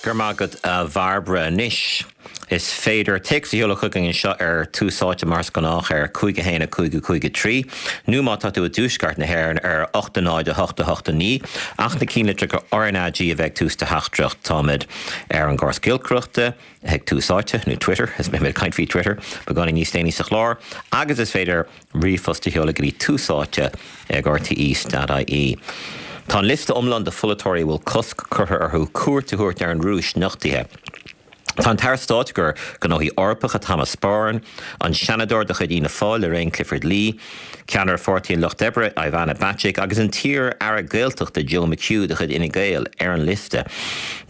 Go raibh maith agat a Bhairbre. Anois is féidir téacs a sheoladh chugainn anseo ar Tús Áite mar is gnách ar 5 1 5 5 3 nó má tá tú i dtuaisceart na hÉireann ar 8 0 8 8 9 ach na cinnlitreacha RnaG a bheith ag tús do theachtaireacht. Táimid ar an gcóras giolcaireachta ag Tús Áite nó Twitter, is beidh mé ag caint faoi Twitter beagáinín níos déanaí sa chlár agus is féidir ríomhphost a sheoladh go dtí tús áite ag rte.ie. Tá an liosta iomlán de pholaiteoirí a bhfuil cosc curtha orthu cuairt a thabhairt ar an Rúis nochtaithe. Tá an tAire Stáit do Ghnóthaí Eorpacha Thomas Byrne, an Seanadóir de chuid Fhianna Fáil Lorraine Clifford-Lee, Ceannaire Pháirtí an Lucht Oibre Ivana Bacik agus an t-iar-aire Gaeltachta Joe McHugh de chuid Fhine Gael ar an liosta.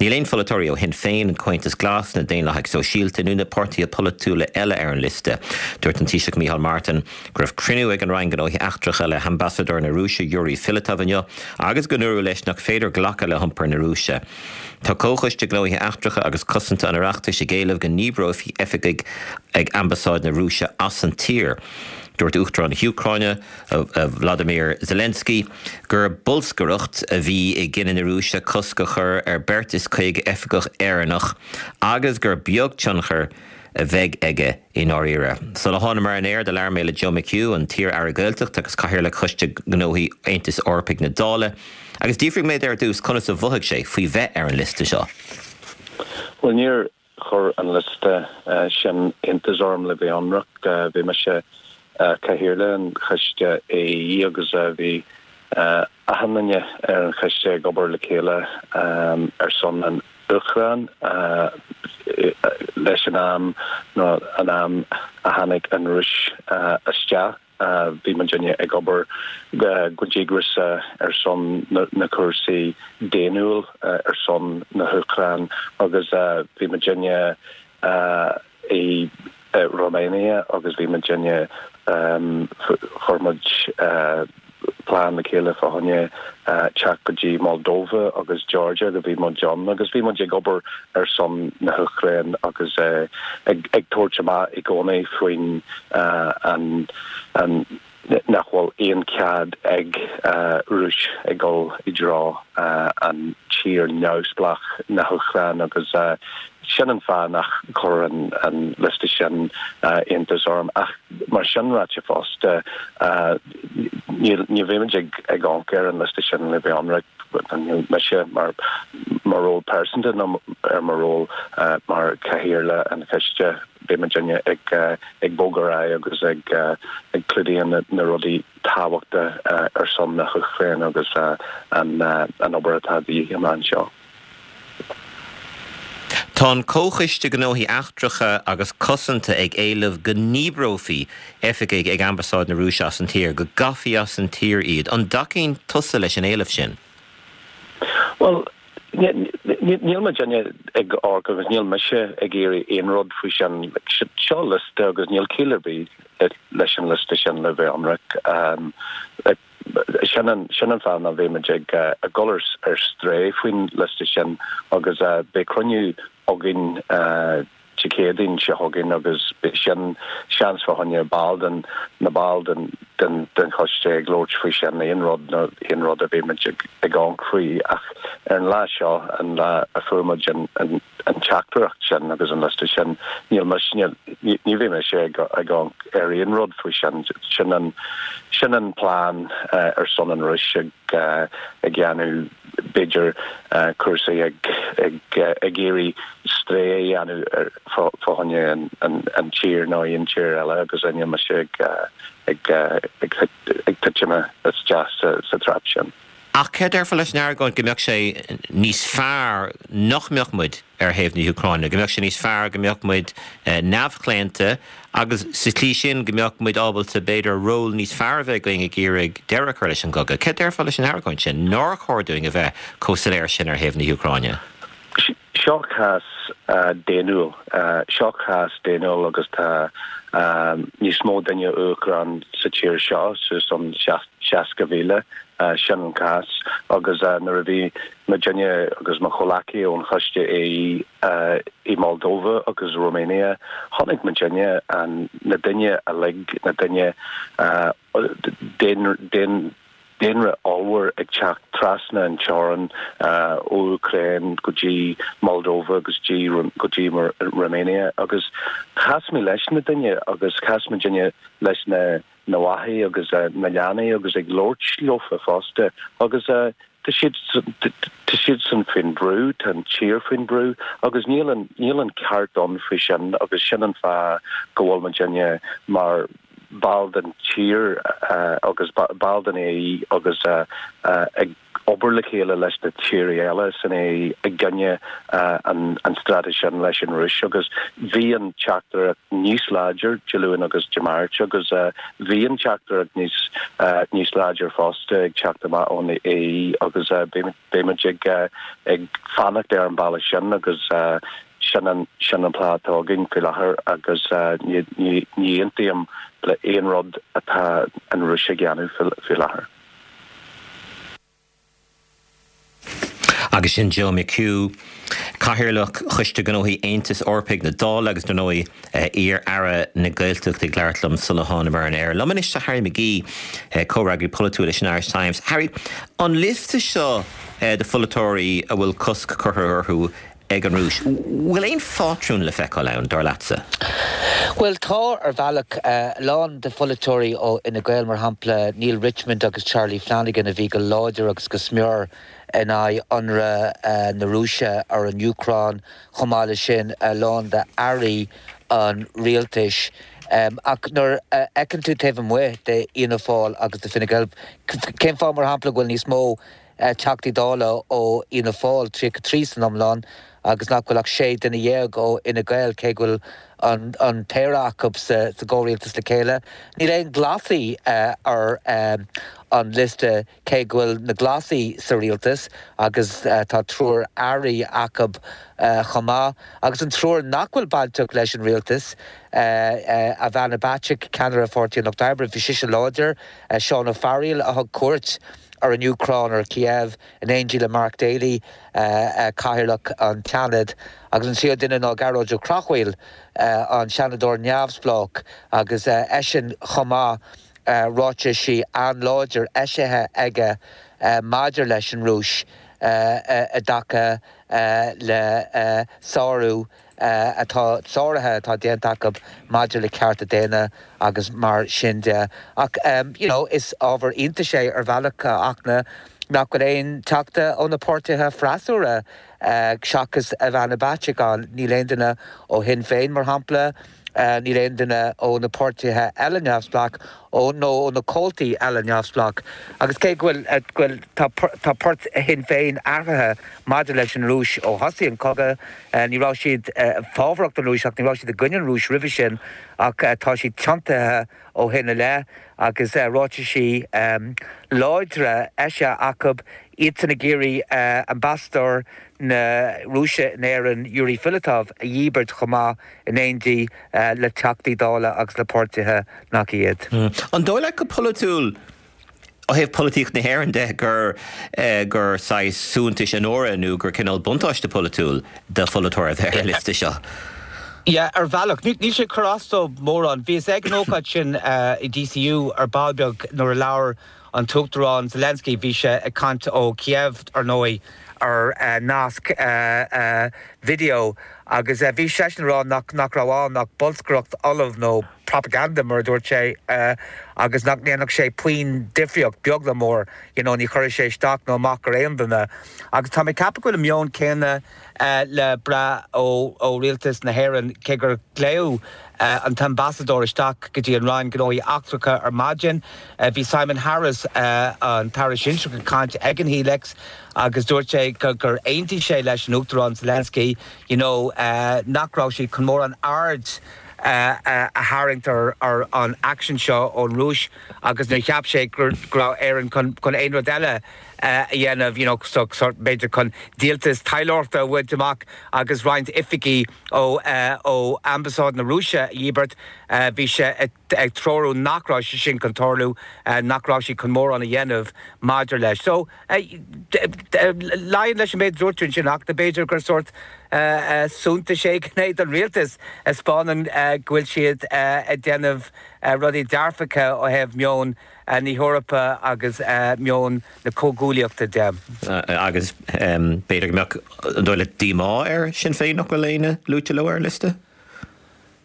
Níl aon pholaiteoirí ó Shinn Féin, an Comhaontas Glas, na Daonlathaigh Sóisialta nó na páirtithe polaitiúla eile ar an liosta. Dúirt an Taoiseach Micheál Martin go raibh cruinniú ag an Roinn Gnóthaí Eachtracha le hambasadóir na Rúise Yuri Filatov inniu agus go ndúradh leis nach féidir glacadh le hiompar na Rúise. Tá Comhchoiste Gnóthaí Eachtracha agus Cosanta an Oireachtais ag éileamh go ndíbreofaí oifigigh ag Ambasáid na Rúise as an tír. Dúirt Uachtarán na hÚcráine, Vladimir Zelensky, gur bolscaireacht a bhí i gcinneadh na Rúise cosc a chur ar beirt is 50 oifigeach Éireannach agus gur beag tionchar a bheidh aige i ndáiríre. Sula thánamar ar an aer do labhair mé le Joe McHugh, an t-iar-aire Gaeltachta agus Cathaoirleach Choiste Gnóthaí Aontais Eorpaigh na Dála, agus d'fhiafraigh mé de ar dtús conas a mhothaigh sé faoi bheith ar an liosta seo. Bhuel, níor Chuir an liosta sin iontas orm le bheith ionraic. Bhí mise Cathaoirleach an Choiste AE agus bhí achan duine ar an choiste ag obair le chéile ar son an Úcráin leis an am nó an am a tháinig an Rúis isteach. Bhí muidinne ag obair go díograiseach ar son na cúrsaí daonnúil ar son na hÚcráin agus bhí muidinne i Romania agus bhí muidinne, chuir muid plean le chéile fá choinne teacht go dtí Moldova agus Georgia go bhí muid ann agus bhí muid ag obair ar son na hÚcráin agus ag tabhairt amach i gcónaí faoin an an nach bhfuil aon cead ag Rúis ag dul i dtreo an tír neamhspleách na hÚcráin agus sin an fáth nach chuir an liosta sin iontas orm ach mar sin ráite fosta ní bheimid ag amharc ar an liosta sin le bheith ionraic, níl mise mar mo ról pearsanta nó ar mo ról mar chathaoirleach an choiste, beidh muidinne ag ag bogadh ar aghaidh agus ag ag clúdaíonn na rudaí tábhachta ar son na hÚcráine agus an an obair atá de dhíth amach anseo. Tá an Comhchoiste Gnóthaí Eachtracha agus Cosanta ag éileamh go ndíbreofaí oifigigh ag Ambasáid na Rúise as an tír, go gcaithfí as an tír iad. An dtacaíonn tusa leis an éileamh sin? Bhuel, níl muidinne ag amharc agus níl mise ag iarraidh aon rud faoi sin. Seo liosta agus níl ciall ar bith leis an liosta sin le bheith ionraic. Sin an sin an fáth nach mbeidh muid ag dul ar strae faoin liosta sin agus beidh cruinniú againn Dé Céadaoin seo chugainn agus beidh sin seans fá choinne ball den na baill den den den choiste ag labhairt faoi sin aon rud nó aon rud a bheidh muid ag ag amharc faoi ach ar an lá seo an lá a fuair muid an an an teachtaireacht sin agus an liosta sin níl mise níl ní bheidh mise ag ag amharc ar aon rud faoi sin sin an sin an plean ar son an Rúis ag ag dhéanamh b'fhéidir cúrsaí ag ag ag iarraidh strae a dhéanamh ar fá choinne an an an tír nó aon tír eile agus níl mise ag ag ag ag titim isteach sa sa trap sin. Ach céard a déarfá leis an argóint go mbeadh sé níos fearr nach mbeadh muid ar thaobh na hÚcráine, go mbeadh sé níos fearr go mbeadh muid neamhchlaonta agus sa tslí sin go mbeadh muid ábalta b'fhéidir ról níos fearr a bheith againn ag iarraidh deireadh a chur leis an gcogadh? Céard a déarfá leis an argóint sin, nár chóir dúinn a bheith chomh soiléir sin ar thaobh na hÚcráine? Seo cás daonnúil. Seo cás daonnúil agus tá níos mó duine Úcrán sa tír seo, suas an 60,000. Sin an cás. Agus nuair a bhí muidinne agus mo chomhleacaí ón Choiste AE i Moldova agus Romania, chonaic muidinne na daoine uilig, na daoine daon. daonra ollmhór ag teacht trasna an teorann ó Úcráin go dtí Moldova agus go dtí Romania agus chas mé leis na daoine agus chas muidinne leis na na máthair agus na leanaí agus ag labhairt leofa fosta agus tá siad tá siadsan faoin brú, tá an tír faoin brú agus níl an níl an ceart ann faoi sin agus sin an fáth go bhfuil muidinne mar ball den tír agus ball den AE agus ag obair le chéile leis na tíortha eile san AE i gcoinne an straitéis sin leis an Rúis agus bhí an teachtaireacht níos láidir Dé Luain agus Dé Máirt agus bhí an teachtaireacht níos níos láidir fosta ag teacht amach ón AE agus beimid ag ag fanacht ar an bealach sin agus sin an sin an plean atá againn faoi láthair agus ní ní ní aontaím le aon rud atá an Rúis ag déanamh faoi láthair. Agus sin Joe McHugh, Cathaoirleach Choiste Gnóthaí Aontais Eorpaigh na Dála agus, dar ndóigh, iar-Aire na Gaeltachta ag labhairt liom sula thánamar ar an aer. Liom anois tá Harry McGee, comhfhreagraí polaitiúil leis an Irish Times. Harry, an liosta seo de pholaiteoirí a bhfuil cosc curtha orthu ag an Rúis. Bhfuil aon phátrún le feiceáil ann, dar leatsa? Bhuel, tá, ar bhealach. A lán de pholaiteoirí ó Fhine Gael, mar shampla, Neale Richmond agus Charlie Flanagan, a bhí go láidir agus go smior in aghaidh ionradh na Rúise ar an Úcráin, chomh maith leis sin, a lán d'airí an rialtais. Ach nuair a fheiceann tú taobh amuigh de Fhianna Fáil agus de Fine Gael, cén fáth, mar shampla, go bhfuil níos mó Teachtaí Dála ó Fhianna Fáil, 33 san iomlán, agus nach bhfuil ach 16 duine ó Fhine Gael, cé go bhfuil an péire acu sa gcomhrialtas le chéile. Níl aon Ghlasaigh ar an liosta, cé go bhfuil na Glasaigh sa rialtas agus tá triúr airí acu chomh maith. Agus an triúr nach bhfuil bainteach leis an rialtas, Ivana Bacik, ceannaire Pháirtí an Lucht Oibre, bhí sise láidir, Seán Ó Fearghaíl a thug cuairt ar an Úcráin, ar Kiev, in éindí le Mark Daly, Cathaoirleach an tSeanaid, agus an tríú duine ná Gearóid Ó Cathmhaoil, an Seanadóir neamhspleách, agus eisean chomh maith, ráitisí an-láidir eisithe aige maidir leis an Rúis i dtaca le sárú atá, sáruithe atá déanta acu maidir le cearta daonna agus mar sin de. Ach you know is ábhar iontais é ar bhealach, a Fhachtna, nach bhfuil aon teachta ó na páirtithe freasúra seachas Ivana Bacik ann. Níl aon duine ó Shinn Féin, mar shampla. Níl aon duine ó na páirtithe eile neamhspleách ó nó ó na comhaltaí eile neamhspleách. Agus cé go bhfuil, go bhfuil, tá, tá port Shinn Féin athraithe maidir leis an Rúis ó thosaigh an cogadh, ní raibh siad fábharach don Rúis ach ní raibh siad i gcoinne an Rúis roimhe sin ach tá siad tiontaithe ó shin i leith agus ráitisí láidre eisithe acu, iadsan ag iarraidh ambasadóir na Rúise in Éirinn, Yuri Filatov, a dhíbirt chomh maith. in éindí le Teachtaí Dála agus le páirtithe nach iad. An dóigh leat go polaitiúil, ó thaobh polaitíocht na hÉireann de, gur gur saghas suaitheantas onóra nó gur cineál buntáiste polaitiúil do pholaiteoir a bheith ar an liosta seo? Yeah, ar bhealach. Níl sé ag cur as dóibh mórán. Bhíos ag an ócáid sin i DCU ar ball beag nuair a labhair an tUachtarán Zelensky, bhí sé ag caint ó Kiev, ar ndóigh, ar nasc video agus bhí seisean ag rá nach nach raibh ann ach bolscaireacht fholamh nó propaganda mar a dúirt sé agus nach ndéanfadh sé puinn difríocht, beag ná mór, you know, ní chuirfeadh sé isteach nó amach ar aon duine. Agus tá mé ag ceapadh go bhfuil an meon céanna le brath ó rialtas na hÉireann, cé gur glaodh an t-ambasadóir isteach go dtí an Roinn Gnóthaí Eachtracha ar maidin. Bhí Simon Harris, an tAire Sinsearach ag caint ag an Helix agus dúirt sé gur aontaigh sé leis an Uachtarán Zelensky you know nach raibh siad chun mórán aird a tharraingt ar an aicsean seo ón Rúis agus níor cheap sé go raibh Éirinn chun aon rud eile a dhéanamh, you know, so sort b'fhéidir chun díoltas taidhleoireachta a bhaint amach agus roinnt oifigí ó ó Ambasáid na Rúise a dhíbirt. Bhí sé ag treorú nach raibh sé sin chun tarlú, nach raibh siad chun mórán a dhéanamh maidir leis. So, luíonn leis an méid a dúirt tú ansin ach b'fhéidir gur sórt. suntais éigin é don rialtas, a 'speánann go bhfuil siad ag déanamh rudaí dearfacha ó thaobh meon na hEorpa agus meon na comhghuaillíochta de. Agus b'fhéidir go mbeadh, an dóigh leat, díomá ar Shinn Féin nach bhfuil éinne luaite leo ar an liosta?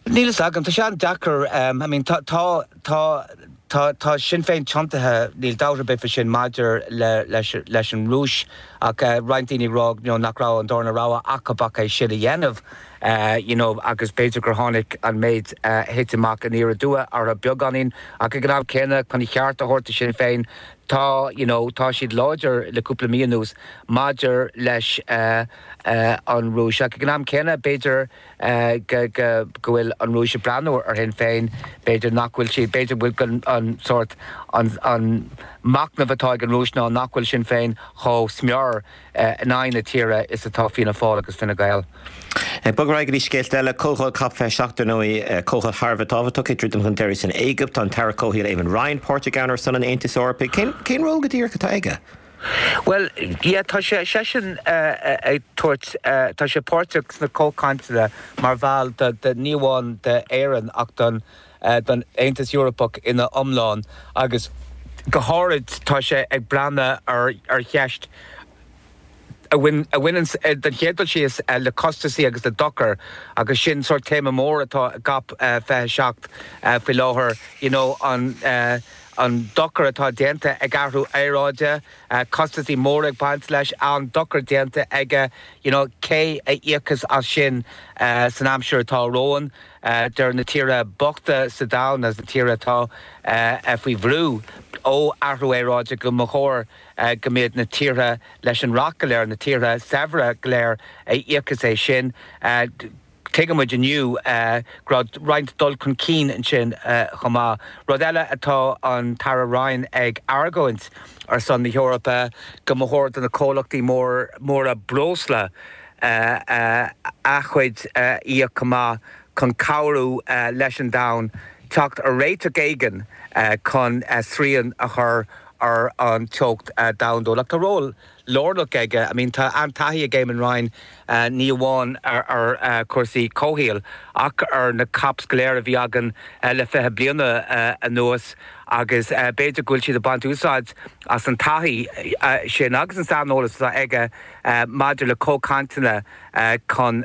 Níl fhios agam, tá sé an-deacair, I mean tá, tá, tá, tá, tá Sinn Féin tiontaithe, níl dabht ar bith faoi sin maidir le, leis, leis an Rúis ach roinnt daoine ag rá you know nach raibh an darna rogha acu ach é sin a dhéanamh you know agus b'fhéidir gur tháinig an méid a thit amach aniar aduaidh orthu beagáinín ach ag an am céanna chun a cheart a thabhairt do Shinn Féin tá you know tá siad láidir le cúpla mí anuas maidir leis an Rúis ach ag an am céanna b'fhéidir go go bhfuil an Rúis ag breathnú ar Shinn Féin, b'fhéidir nach bhfuil siad, b'fhéidir go bhfuil an sórt, an an machnamh atá ag an Rúis ná nach bhfuil Sinn Féin chomh smior in aghaidh na tíre is atá Fianna Fáil agus Fine Gael. Ag bogadh ar aghaidh go dtí scéalta eile, Comhdháil Cop 27 ar ndóigh, comhdháil thar a bheith tábhachtach ag druidim chun deiridh san Éigipt. Tá an tAire Comhshaoil Eamon Ryan páirteach ann ar son an Aontais Eorpaigh. Cén cén ról go díreach atá aige? Bhuel, yeah, tá sé, seisean ag tabhairt, tá sé páirteach sna comhchainteanna mar bhall de, de, ní amháin d'Éirinn ach don, don Aontas Eorpach ina iomlán agus go háirid tá sé ag breathnú ar, ar cheist a bhain, a bhaineann den chéad dul síos le costasaí agus le dochar agus sin sórt téama mór atá i gCOP 27 faoi láthair, you know, an, an dochar atá déanta ag athrú aeráide, costasaí móra ag baint leis, an dochar déanta aige, you know, cé a íocfas as sin san aimsir atá romhainn? Deir na tíortha bochta sa domhan agus na tíortha atá faoi bhrú ó athrú aeráide go mba chóir go mbeadh na tíortha leis an racht go léir, na tíortha saibhre go léir a íocfas é sin. Tuigimid inniu go raibh roinnt dul chun cinn ansin chomh maith. Rud eile atá an tAire Ryan ag argóint ar son na hEorpa go mba chóir do na comhlachtaí móra breosla a chuid a íoc chomh maith chun cabhrú leis an domhan teacht ar réiteach éigin chun srian a chur ar an teocht domhandúil. Ach tá ról lárnach aige. I mean tá an-taithí ag Eamon Ryan ní amháin ar chúrsaí comhshaoil ach ar na COPs go léir a bhí againn le 20 bliana anuas agus b'fhéidir go bhfuil siad ag baint úsáid as an taithí sin agus an saineolas atá aige maidir le comhchainteanna chun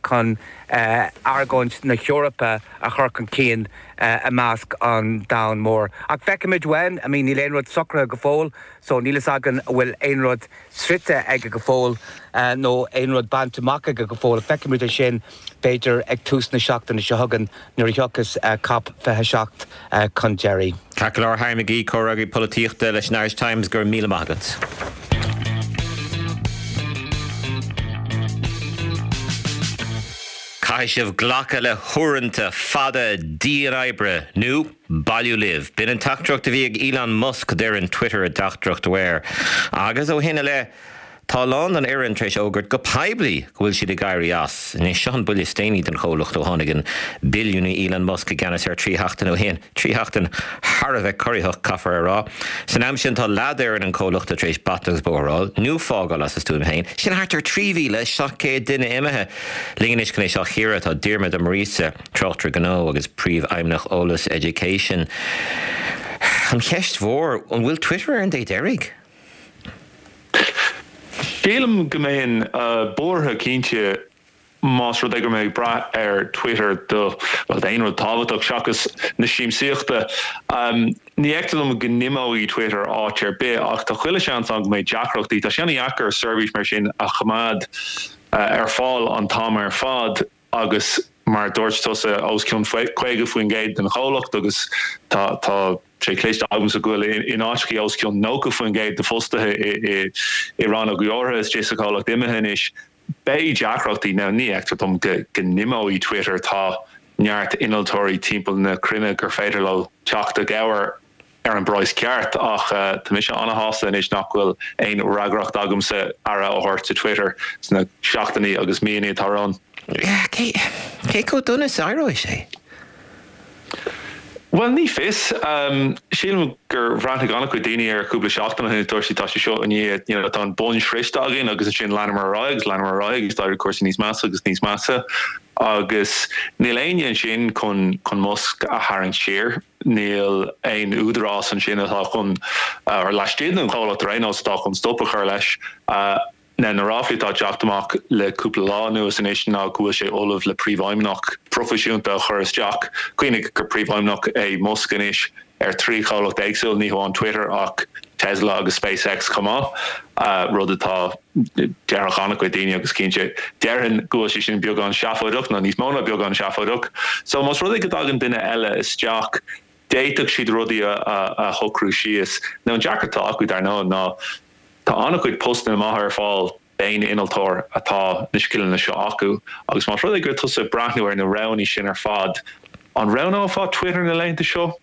chun argóint na hEorpa a chur chun cinn i measc an domhain mór. Ach feicfimid uainn, I mean níl aon rud socraithe go fóill. So níl fhios againn an bhfuil aon rud sroichte aige go fóill nó aon rud bainte amach aige go fóill. Feicfimid é sin b'fhéidir ag tús na seachtaine seo chugainn nuair a thiocfas Cop 27 chun deiridh. Ceart go leor, Harry McGee, Comhfhreagraí Polaitíochta leis an Irish Times, go raibh míle maith agat. Caithfidh sibh glacadh le huaireanta fada dian-oibre nó bailiú libh. B'in an teachtaireacht a bhí ag Elon Musk d'fhoireann Twitter i dteachtaireacht uaidh. Agus ó shin i leith, tá a lán den fhoireann tar éis fhógairt go poiblí go bhfuil siad ag éirí as. Anois, seo an buille is déanaí don chomhlacht ó tháinig an billiúnaí Elon Musk i gceannas air 3 sheachtain ó shin. 3 sheachtain thar a bheith corraitheach, caithfear a rá. San am sin, tá leath d'fhoireann an chomhlachta tar éis bata agus bóthar a fháil, nó fágáil as a stuaim féin. Sin thart ar 3,700 duine imithe. Linn anois chun é seo a chíoradh tá Diarmaid Ó Muiríosa. Tráchtaire Gnó agus Príomhfheidhmeannach Eolas Education. An cheist mhór, an bhfuil Twitter ar an dé deiridh? Sílim go mbeinn buartha cinnte más rud é go raibh mé ag brath ar Twitter do, bhuel, d'aon rud tábhachtach seachas na siamsaíochta. Ní fheictear dom go n-imeoidh Twitter áit ar bith ach tá chuile sheans ann go mbeidh deacrachtaí. Tá sé an-dheacair seirbhís mar sin a choimeád ar fáil an t-am ar fad. agus mar a dúirt tusa, os cionn 50% den chomhlacht agus tá tá sé cloiste agamsa go bhfuil in áiteachaí os cionn 90% de fostaithe i i rannógaí áirithe istigh sa chomhlacht imithe anois. Beidh deacrachtaí. Now ní fheictear dom go go n-imeoidh Twitter, tá neart innealtóirí timpeall na cruinne gur féidir leo teacht i gcabhair. ar an bpraghas ceart ach tá mise ana-shásta anois nach bhfuil aon fhreagracht agamsa aire a thabhairt do Twitter sna seachtainí agus míonna atá romhainn. Cé chomh dona is a éireoidh sé? Bhuel, ní fios. Sílim gur bhreathnaigh an-chuid daoine air cúpla seachtain ó shin agus dúirt siad tá sé seo i ndiaidh, you know, tá an bun sroichte againn agus ansin leanamar ar aghaidh agus leanamar ar aghaidh agus d'éirigh cúrsaí níos measa agus níos measa agus níl éinne ansin chun chun Musk a tharraingt siar. Níl aon údarás ansin atá chun, or laistigh den chomhlacht ar aon nós, atá chun stop a chur leis. Now na ráflaí atá ag teacht amach le cúpla lá anuas anois ná go bhfuil sé ullamh le príomhfheidhmeannach proifisiúnta a chur isteach. Cuimhnigh gur príomhfheidhmeannach é Musk anois ar thrí chomhlacht éagsúil, ní hamháin Twitter ach Tesla agus SpaceX chomh maith, rud atá, déarfadh an-chuid daoine agus cinnte déarfainn go bhfuil sé sin beagán seafóideach, nó níos mó ná beagán seafóideach. So más rud é go dtagann duine eile isteach, d'fhéadfadh siad rudaí a shocrú síos. Now an deacracht atá acu dar ndóigh ná Tá an-chuid postanna maithe ar fáil d'aon innealtóir atá na scileanna seo acu agus más rud é go bhfuil tusa ag breathnú ar na roghanna sin ar fad, an roghnófá Twitter na laethanta seo?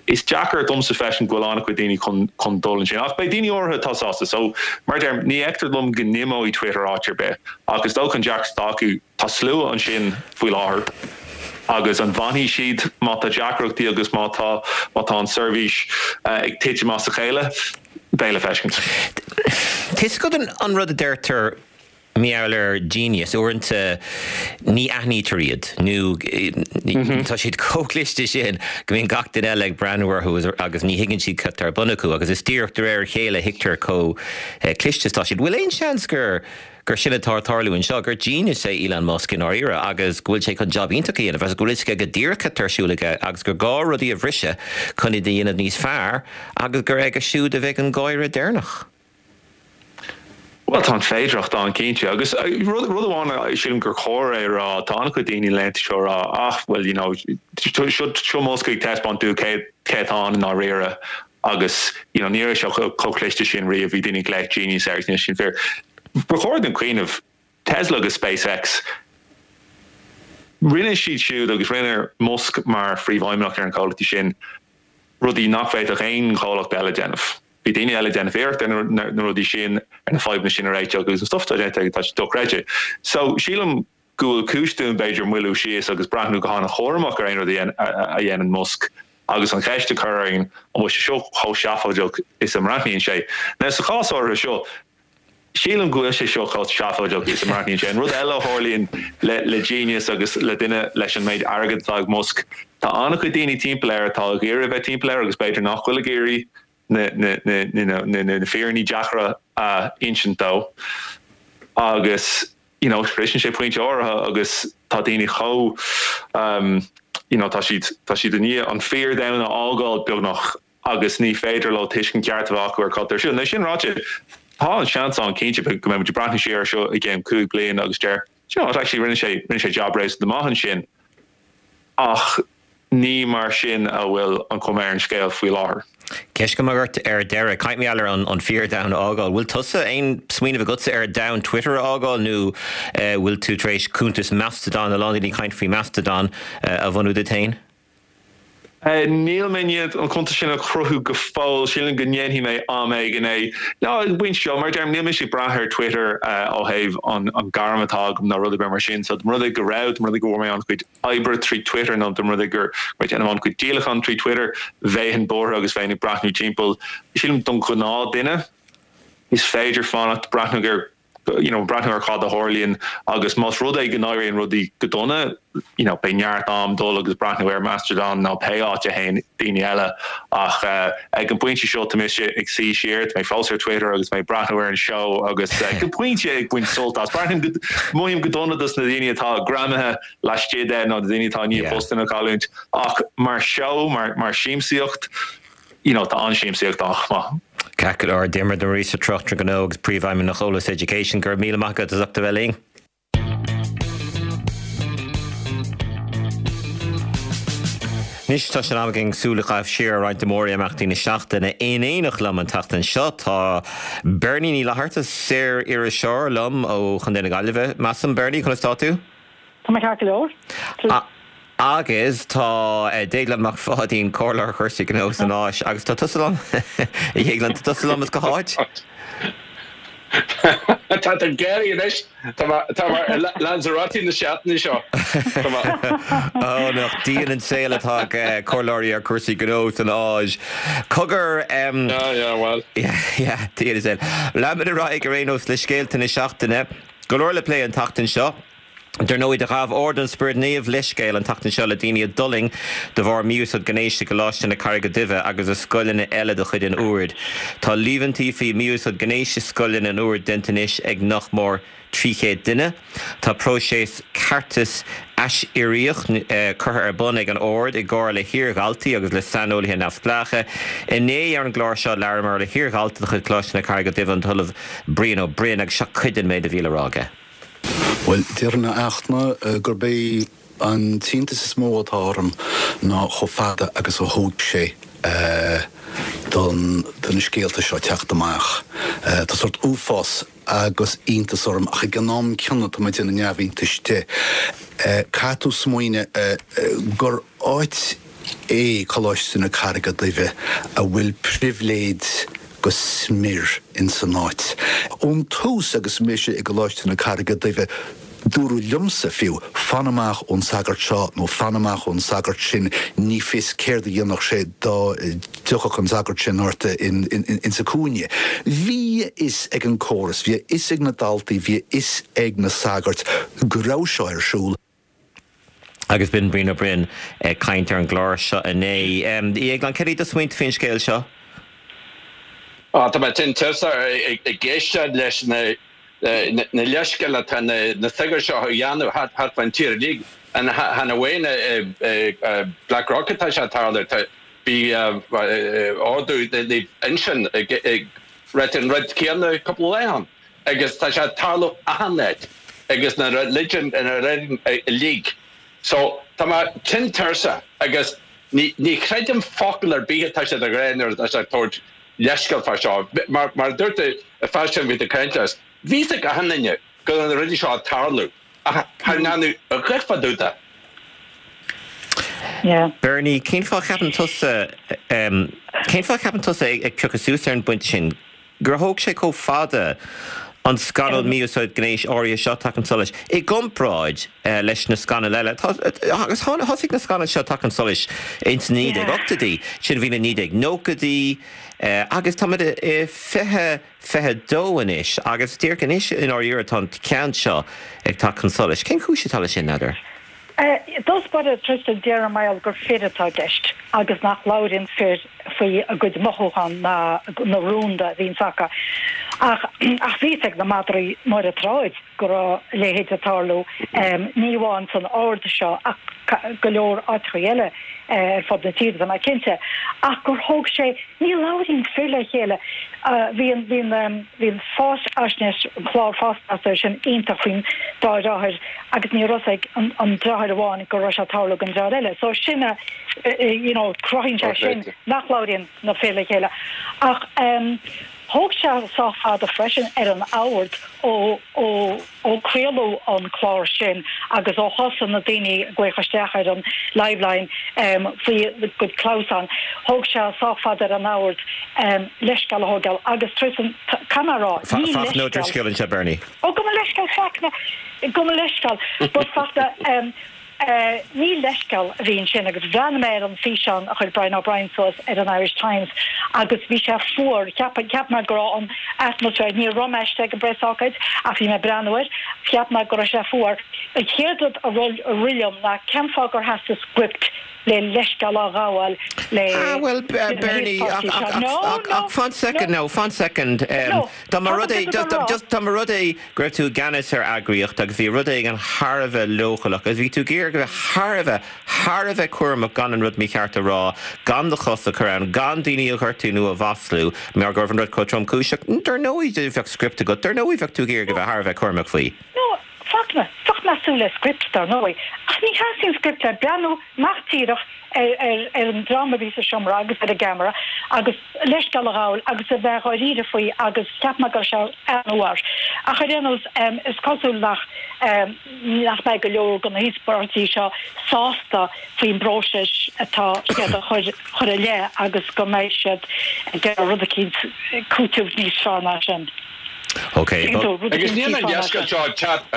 Is deacair domsa feiscint go bhfuil an-chuid daoine chun chun dul ansin ach beidh daoine áirithe atá sásta. So, mar a deirim, ní fheictear dom go n-imeoidh Twitter áit ar bith ach is dócha an deacracht atá acu, Tá slua ansin faoi láthair agus an bhfanfaidh siad má tá deacrachtaí agus má tá má tá an tseirbhís ag titim as a chéile? Beidh le feiscint. Tá 'fhios agat an rud a deirtear mar gheall ar genius, uaireanta ní aithnítear iad nó tá siad chomh cliste sin go mbíonn gach duine eile ag breathnú orthu agus ní thuigeann siad cad tá ar bun acu agus is díreach de réir a chéile a thuigtear chomh cliste is atá siad. Bhfuil aon seans gur gur sin atá ag tarlú anseo, gur genius é Elon Musk i ndáiríre agus go bhfuil sé chun jab iontach a dhéanamh agus go bhfuil fhios aige go díreach cad tá ar siúl aige agus gur gá rudaí a bhriseadh chun iad a dhéanamh níos fearr agus gur aige siúd a bheidh an gáire deireanach. Bhuel, tá an féidearthacht ann, cinnte. Agus rud amháin a sílim gur chóir é a rá, tá an-chuid daoine na laethanta seo ag rá, ah, well, you know, seo Musk ag taispeáint dúinn cé atá ann i ndáiríre. Agus, you know, ní raibh sé chomh cliste sin riamh, bhí daoine ag glaoch genius air agus níl sin fíor. Ba chóir dúinn cuimhneamh, Tesla agus SpaceX, rinne siad siúd agus rinne Musk mar phríomhfheidhmeannach ar an chomhlachtaí sin rudaí nach bhféadfadh aon chomhlacht eile déanamh. Bhí daoine eile ag déanamh iarracht ar na rudaí sin, ar na fadhbanna sin a réiteach agus an stuff atá déanta aige, tá sé dochreidte. So, sílim go bhfuil cúis dúinn b'fhéidir moilliú síos agus breathnú go han-chúramach ar aon rud a dhéanann Musk agus an cheist a chur orainn an bhfuil sé seo chomh seafóideach is a mbreathnaíonn sé. Now sa chás áirithe seo, sílim go bhfuil sé seo chomh seafóideach is a mbreathnaíonn sé. An rud eile a tharlaíonn le genius agus le duine leis an méid airgid atá ag Musk, tá an-chuid daoine timpeall air atá ag iarraidh a bheith timpeall air agus b'fhéidir nach bhfuil ag iarraidh na fírinní deacra a insint dó agus you know sroiseann sé pointe áirithe agus tá daoine chomh you know tá siad tá siad i ndiaidh an fíordhomhan a fhágáil beagnach agus ní féidir leo tuiscint ceart a bheith acu ar cad tá ar siúl. Now sin ráite tá an seans ann cinnte go mbeidh muid ag breathnú siar air seo i gceann 5 bliana agus deir do you know what actually rinne sé rinne sé jab réasúnta maith ansin ach Ní mar sin a bhfuil an chuma ar an scéal faoi láthair. Ceist agam ort ar deireadh. Caint mar gheall ar an fíordhomhan a fhágáil. Bhfuil tusa, aon smaoineamh agatsa ar domhan Twitter a fhágáil nó bhfuil tú tar éis cuntas Mastodon, a lán daoine ag caint faoi Mastodon, a bhunú duit féin? Níl mé i ndiaidh an cuntas sin a chruthú go fóill. Sílim go ndéanfaidh mé am éigin é. Ná ag an bpointe seo, mar a deirim, níl mise ag brath ar Twitter ó thaobh an gairm atá agam ná rud ar bith mar sin. So dá mba rud é go raibh, dá mba rud é go bhfuair mé an-chuid oibre trí Twitter nó dá mba rud é go raibh mé ag déanamh an-chuid díolachán trí Twitter, bheinn buartha agus bheinn ag breathnú timpeall. Sílim don ghnáth duine, is féidir fanacht, breathnú ar you know breathnú ar cad a tharlaíonn agus más rud é go n-éiríonn rudaí go dona, you know beidh neart am dul agus breathnú ar Mastodon nó pé áit a théann daoine eile ach ag an bpointe seo tá mise ag suí siar, tá mé fós ar Twitter agus mé ag breathnú ar an seó agus go pointe ag baint sult as. Breathnaím go, mothaím go dona dos na daoine atá greamaithe laistigh de nó na daoine atá i ndiaidh postanna a chailliúint ach mar seó, mar mar siamsaíocht, you know tá an-siamsaíocht ann chomh maith. Ceart go leor, Diarmuid Ó Muiríosa, Tráchtaire Gnó agus Príomhfheidhmeannach Eolas Education, go raibh míle maith agat as ucht a bheith linn. Anois tá sé in am againn súil a chaitheamh siar ar roinnt de mhórimeachtaí na seachtaine. In éineacht liom an tseachtain seo tá Bernie Ní Fhlatharta, saor-iriseoir liom ó Chontae na Gaillimhe, measaim. Bernie, conas tá tú? Tá mé ceart go leor. Agus tá Déaglán Mac Pháidín, Comhairleoir Chúrsaí Gnó san Áis, agus tá tusa liom, a Dhéagláin, tá tusa liom as cá háit? Tá tú ag gáirí anois. Tá mar Lanzarote na seachtaine seo. Ó, nach dian an saol atá ag comhairleoirí ar chúrsaí gnó san Áis. Cogar. Yeah, yeah, well. Yeah, yeah, dian an saol. Leanfaimid ar aghaidh ar aon nós le scéalta na seachtaine. Go leor le plé an tseachtain seo. Dar ndóigh, do ghabh Ord an Spioraid Naoimh leithscéal an tseachtain seo le daoine a d'fhulaing de bharr mí-úsáid gnéis i gColáiste na Carraige Duibhe agus i scoileanna eile de chuid an Oird. Tá líomhaintí faoi mhí-úsáid gnéis i scoileanna an Oird déanta anois ag nach mór 300 duine. Tá próiseas ceartais aisiríoch curtha ar bun ag an Ord i gcomhar le hiar-dhaltaí agus le saineolaithe neamhspleácha. Inné ar an gclár seo labhramar le hiar-dhalta de chuid Choláiste na Carraige Duibhe, an tOllamh Brian Ó Broin, agus seo cuid den méid a bhí le rá aige. Bhuel, déarfainn a Fhachtna gurb é an t-iontas is mó atá orm ná chomh fada agus a thóg sé don do na scéalta seo teacht amach. Tá sórt uafás agus iontas orm ach ag an am céanna tá mé ag déanamh neamhiontais de. Caithfidh tú smaoineamh gur áit é Coláiste na Carraige Duibhe a bhfuil pribhléid go smior ins an áit. Ón tús agus mise i gColáiste na Carraige Duibhe, dúradh liomsa fiú, fan amach ón sagart seo nó fan amach ón sagart sin, ní fios céard a dhéanfadh sé dá dtiocfadh an sagart sin ort insa cúinne. Bhí a fhios ag an córas, bhí a fhios ag na daltaí, bhí a fhios ag na sagairt go raibh seo ar siúl. Agus b'in Brian Ó Broin ag caint ar an gclár seo inné. A Dhéagláin, céard iad do smaointe faoin scéal seo? Tá mé tinn tuirseach ag éisteacht leis na leithscéil atá na sagairt seo a dhéanamh thart fán tír uilig. Chan amháin i Blackrock atá sé ag tarlú. Bhí ordú Naomh Uinseann ag ráit an rud céanna cúpla lá ó shin. Agus tá sé ag tarlú achan áit agus na religion na religion uilig. So tá mé tinn tuirseach agus ní ní chreidim focal ar bith atá siad ag rá nuair atá siad ag tabhairt leithscéal fá seo. Mar mar a dúirt an fear sin a bhí ag caint leis, bhí fhios ag achan duine go raibh na rudaí seo ag tarlú ach chan ndearnadh a dhath fá dtaobh de. Yeah. Bernie, cén fáth a cheapann tusa, cén fáth a cheapann tusa ag piocadh suas ar an bpointe sin? gur thóg sé chomh fada an scannal mí-úsáid gnéis áirithe seo teacht chun solais i gcomparáid leis na scannail eile. Agus thosaigh na scannail seo teacht chun solais ins na 1980idí, sin bhí na 1990idí agus táimid i 2022 anois agus díreach anois i ndáiríre atá an ceann seo ag teacht chun solais. Cén chúis atá leis sin, n'fheadar? I dtús báire, Tristan, déarfainn mar gheall gur fir atá i gceist agus nach labhraíonn fir faoi a gcuid mothúchán ná na rúnda a bhíonns acu. Ach ach bhí fhios ag na madraí ar an tsráid go raibh a leithéid ag tarlú, ní amháin san ord seo ach go leor áiteachaí eile ar fud na tíre, tá mé cinnte. Ach gur thóg sé, ní labhraíonn fir le chéile. Bhí an, bhí an, bhí an fáisnéis, an clár fáisnéise sin iontach faoin dá dheartháir agus ní raibh fhios ag an deartháir amháin go raibh sé ag tarlú don deartháir eile. So sin a, you know, cruthaíonn sé sin nach labhraíonn na fir le chéile. Ach thóg sé sách fada freisin ar an ord ó, ó, ó craoladh an clár sin agus ó thosaigh na daoine ag glaoch isteach ar an Liveline faoi a gcuid clamhsán, thóg sé sách fada ar an ord leithscéal a thógáil agus Tristan, caithfidh mé a rá, ní Fachtna Ó Drisceoil anseo, Bernie. Ó, gabh mo leithscéal, Fachtna, gabh mo leithscéal. But Fachtna, Ní leithscéal a bhí ansin agus bhreathnaigh mé ar an físeán a chuir Brian O'Brien suas ar an Irish Times agus bhí sé fuar. Cheap cheap mé go raibh an atmaisféar, ní raibh mé istigh ag an bpreasócáid ach bhí mé ag breathnú air, cheap mé go raibh sé fuar. An chéad rud a rith liom ná cén fáth gur theastaigh script le leithscéal a ghabháil le Ah bhuel Bernie ach ach ach fan soicind no, fan soicind. Dá mba rud é just dá mba rud é go raibh tú i gceannas ar eagraíocht agus bhí rud éigin thar a bheith leochaileach agus bhí tú ag iarraidh a bheith thar a bheith, thar a bheith cúramach gan an rud mícheart a rá, gan do chos a chur ann, gan daoine a ghortú nó a mhaslú mar go raibh an rud chomh tromchúiseach. Dar ndóigh bheadh script agat, dar ndóigh bheadh tú ag iarraidh a bheith thar a bheith cúramach faoi. No, Fachtna, bheadh mé ag súil le script, dar ndóigh. Ach ní theastaíonn script le breathnú amach díreach ar, ar, ar an dream a bhí sa seomra agus ar an gceamara agus leithscéal a ghabháil agus a bheith dháiríre faoi agus cheap mé go raibh sé an-fhuar. Ach ar aon nós, is cosúil nach, nach mbeidh go leor de na híospartaigh seo sásta faoin bpróiseas atá siad a chur, chur i leith agus go mbeidh siad ag iarraidh rud eicínt, cúiteamh níos fearr ná sin. Ok. Agus níl an leithscéal seo ag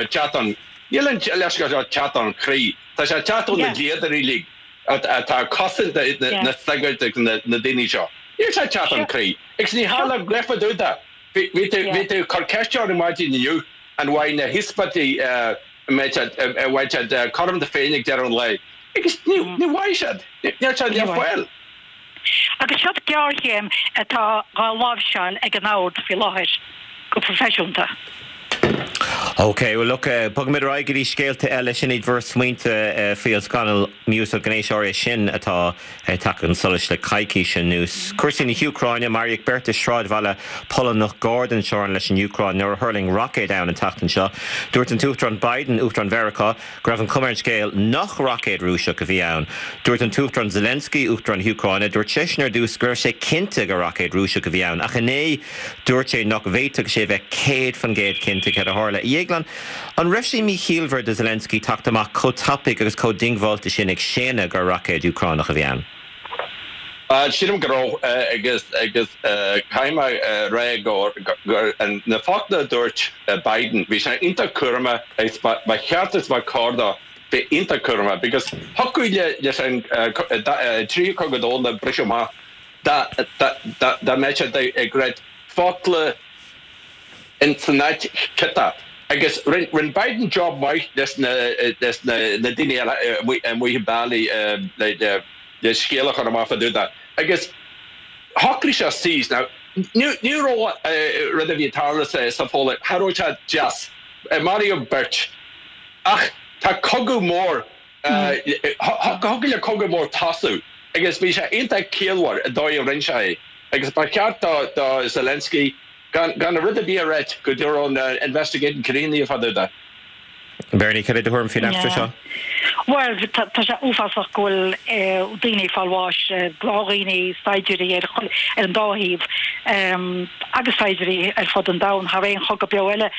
teacht ón, níl an leithscéal seo ag teacht ón chroí. Tá sé ag teacht ó na dlíodóirí uilig atá ag cosaint na sagairt agus na daoine seo. Níl sé ag teacht ón chroí. Agus ní tharla rud fá dtaobh de. Bhí tú ag cur ceiste orm maidin inniu an bhfaighidh na híospartaigh an mbeidh siad, an bhfaighidh siad cothrom na Féinne ag deireadh an lae. Agus ní bhfaighidh siad. Níl siad le fáil. Agus seod géarchéim atá dhá láimhseáil ag an Ord faoi láthair, go proifisiúnta. Ok, well look, bogfaimid ar aghaidh go dtí scéalta eile. Sin iad bhur smaointe faoi an scannal mí-úsáid gnéis áirithe sin atá ag teacht chun solais le coicís anuas. Cúrsaí na hÚcráine, Maraíodh beirt i sráidbhaile Polannach gar don teorainn leis an Úcráin nuair a thuirling roicéad ann an tseachtain seo. Dúirt an tUachtarán Biden, Uachtarán Mheiriceá, go raibh an chuma ar an scéal nach roicéad Rúiseach a bhí ann. Dúirt an tUachtarán Zelensky, Uachtarán na hÚcráine, dúirt seisean ar dtús go raibh sé cinnte gur roicéad Rúiseach a bhí ann, ach inné dúirt sé nach bhféadfadh sé a bheith 100% cinnte céard a tharla. A Dhéagláin, an raibh sé míchiallmhar do Zelensky teacht amach chomh tapaidh agus chomh diongbháilte sin ag séanadh gur roicéad Úcránach a bhí ann? Sílim go raibh agus agus caithfidh mé a rá go gur na focla a dúirt Biden, bhí sé iontach cúramach agus ba cheart is ba chóir dó bheith iontach cúramach because thiocfadh le leis an tríú cogadh domhanda briseadh amach dá dá mbeadh sé ag rá focla in san áit chiotach. Agus rinne Biden job maith leis na leis na daoine eile amuigh i bealaí le le scéal a chur amach fá dtaobh de. Agus shocraigh sé suas. Now, ní raibh rud a bhí ag tarlú sa Pholainn, cha raibh sé deas. Maraíodh beirt. Ach tá cogadh mór, thiocfadh le cogadh mór tosú agus bhí sé iontach ciallmhar an dóigh a rinne sé é. Agus ba cheart do Zelensky gan rud ar bith a ráit go dtí go raibh an investigation críochnaithe fá dtaobh de. Bernie, cad é do thuairim faoin eachtra seo? Bhuel, tá sé uafásach go bhfuil daoine ag fáil bháis, gnáthdhaoine, saighdiúirí ar an dá thaobh agus saighdiúirí ar fud an domhain. Thar aon chogadh beo eile,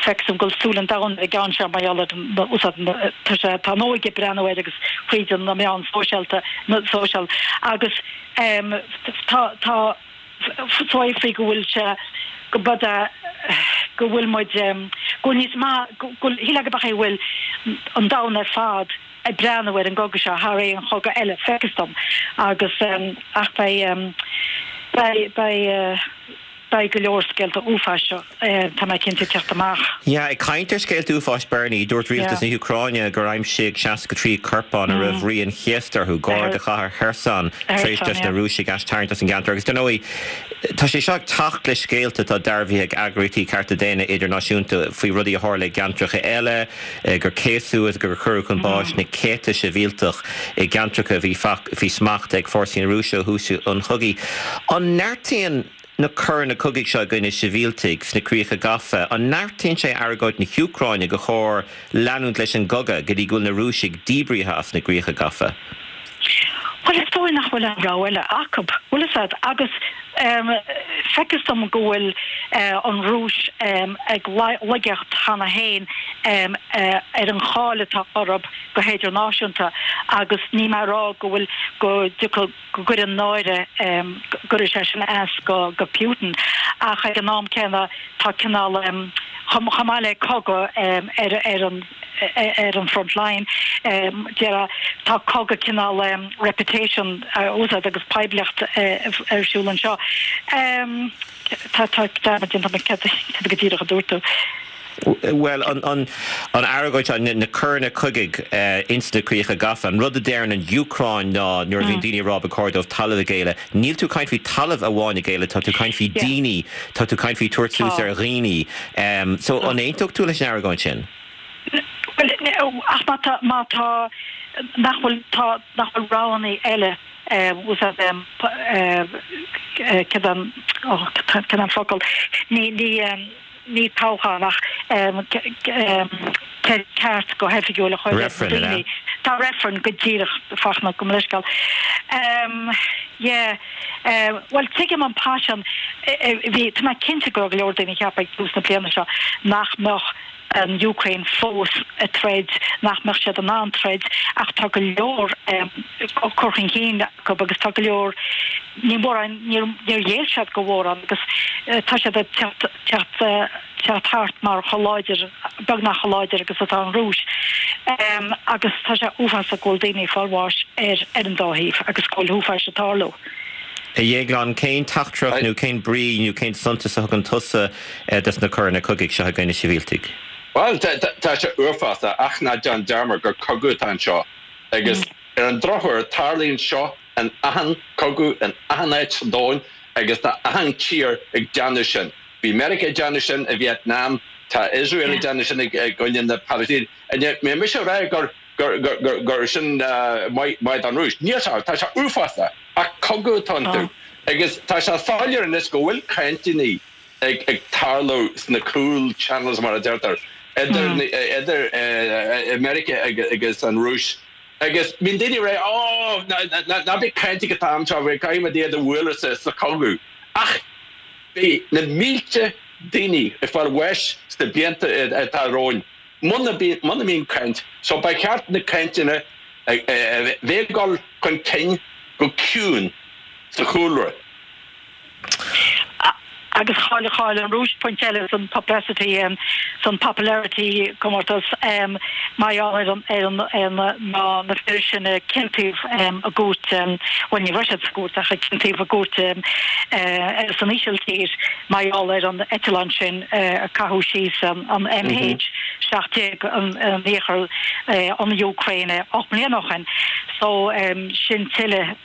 feictear dom go bhfuil súil an domhain ar an gceann seo mar gheall ar an úsáid, tá sé, tá an óige ag breathnú air agus fríd na meáin sóisialta, social, agus tá, tá. faoi go bhfuil sé go b'fhéidir go bhfuil muid go bhfuil níos maith go bhfuil shílfeá go b'é go bhfuil an domhan ar fad ag breathnú ar an gcogadh seo thar aon chogadh eile feictear dom agus ach beidh beidh beidh beidh go leor scéalta uafáis tá mé cinnte ag teacht amach. Yeah, ag caint ar scéalta uafáis Bernie, dúirt rialtas na hÚcráine gur aimsíodh 63 corpán a raibh rian céasta orthu, gar do chathair Kherson, tar éis dos na Rúisigh aistarraingt as an gceantar. Agus dar ndóigh, tá sé seo ag teacht le scéalta atá dearbhaithe ag eagraíochtaí cearta daonna idirnáisiúnta faoi rudaí a tharla i gceantracha eile, gur céasadh agus gur cuireadh chun báis na céadta sibhialtach i gceantracha a bhí faoi smacht ag fórsaí na Rúise ó thús an chogaidh. An neartaíonn na coireanna cogaidh seo i gcoinne sibhialtaigh sna críocha gafa, an neartaíonn sé argóint na hÚcráine gur chóir leanúint leis an gcogadh go dtí go bhfuil na Rúisigh díbrithe as na gcríocha gafa? Bhuel, is dóigh nach bhfuil aon rogha eile acu, bhfuil fhios a'd, agus feictear dom go bhfuil an Rúis ag laigeacht cheana féin ar an cháil atá orthu go hidirnáisiúnta agus níl mé a rá go bhfuil, go dtiocfadh, go gcuireann náire, go gcuirfidh sé sin as go Putin ach ag an am céanna tá cineál, chomh maith le cogadh ar ar an ar an front line, déarfá, tá cogadh cineál reputation a úsáid agus poiblíocht ar siúl anseo. Tá tá dearmad déanta agam céard go díreach a dúirt tú. Bhuel, an argóint seo, na coireanna cogaidh ins na críocha gafa, an rud a deireann an Úcráin ná nuair a bhíonn daoine ag rá ba chóir dóibh talamh a ghéilleadh, níl tú ag caint faoi talamh amháin a ghéilleadh, tá tú ag caint faoi daoine, tá tú ag caint faoi tabhairt suas ar dhaoine. So, an aontódh tú leis an argóint sin? Bhuel, ach má tá, má tá, nach bhfuil, tá, nach bhfuil roghanna eile, úsáid, cad an, cad an focal, ní, ní, ní toghchán ach ceart go hoifigiúil a chur ar na daoine. Tá reifreann go díreach Fachtna gabh mo leithscéal. Yeah. Bhuel tuigim an paisean. Bhí, tá mé cinnte go raibh go leor daoine ag ceapadh ag tús na bliana seo nach mbeadh. an Úcráin fós ag troid, nach mbeadh siad in ann troid ach tá go leor cur chun cinn acu agus tá go leor, ní mórán, níor ghéill siad go mhórán agus tá siad ag teacht, teacht, teacht thart mar chomh láidir, beagnach chomh láidir agus atá an Rúis. Agus tá sé uafásach go bhfuil daoine ag fáil bháis ar ar an dá thaobh agus go bhfuil uafáis ag tarlú. A Dhéagláin, cén teachtaireacht nó cén brí nó cén suntas a thugann tusa dos na coireanna cogaidh seo i gcoinne sibhialtaigh? Bhuel, tá sé uafásach ach ná déan dearmad gur cogadh atá anseo agus ar an drochuair tarlaíonn seo in achan cogadh in achan áit sa domhan agus tá achan tír ag déanamh sin. Bhí Meiriceá ag déanamh sin i Vietnam, tá Iosrael ag déanamh sin i gcoinne na Palaistíne. Níl mise ag rá gur gur sin maith don Rúis. Níl sé, tá sé uafásach ach cogadh atá iontu. Agus tá sé soiléir anois go bhfuil cainteanna ag tarlú sna cúl channels mar a deirtear, idir Meiriceá agus an Rúis. Agus bíonn daoine ag rá, Ó, ná bí ag caint ag an t-am seo, caithfidh muid iad a bhualadh sa chogadh. Ach beidh na mílte daoine ag fáil bháis sna blianta atá romhainn muna mbíonn caint. So ba cheart na cainteanna a bheith ag dul chun cinn go ciúin sa chúlra. Agus chaill, chaill an Rúis pointe eile san publicity, san popularity comórtas mar gheall ar an, ar an, ar na, na, na fir sin a ciontaíodh i gcúirt, bhuel ní raibh siad sa gcúirt ach a ciontaíodh i gcúirt san Ísiltír mar gheall ar an eitleán sin a caitheadh síos, an MH17 in iarthar an Úcráine 8 mbliana ó shin. So sin tuilleadh,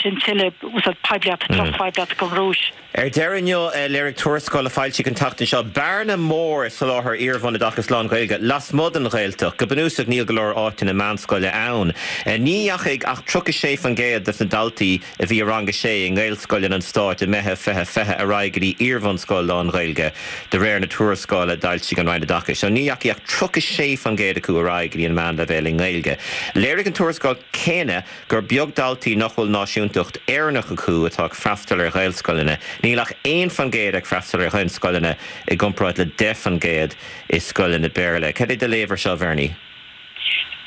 sin tuilleadh. úsáid poiblíocht, drochphoiblíocht don Rúis. Ar deireadh inniu, léirigh tuarascáil a foilsíodh an tseachtain seo bearna mór i soláthar iar-bhunoideachas lán-Ghaeilge lasmuigh den Ghaeltacht. Go bunúsach, níl go leor áiteanna meánscoile ann. Ní dheachaigh ach 36% de na daltaí a bhí i rang a sé i nGaelscoileanna an stáit i Meitheamh 2020 ar aghaidh go dtí iar-bhunscoil lán-Ghaeilge, de réir na tuarascála a d'fhoilsigh an Roinn Oideachais. So ní dheachaigh ach 36% acu ar aghaidh go dtí an meánleibhéal i nGaeilge. Léirigh an tuarascáil chéanna gur beag daltaí nach bhfuil náisiúntacht Éireannach acu atá ag freastal ar Ghaelscoileanna. Níl ach 1% ag freastal ar Ghaelscoileanna i gcomparáid le 10% i scoileanna Béarla. Cad é do léamh ar seo, a Bhernie?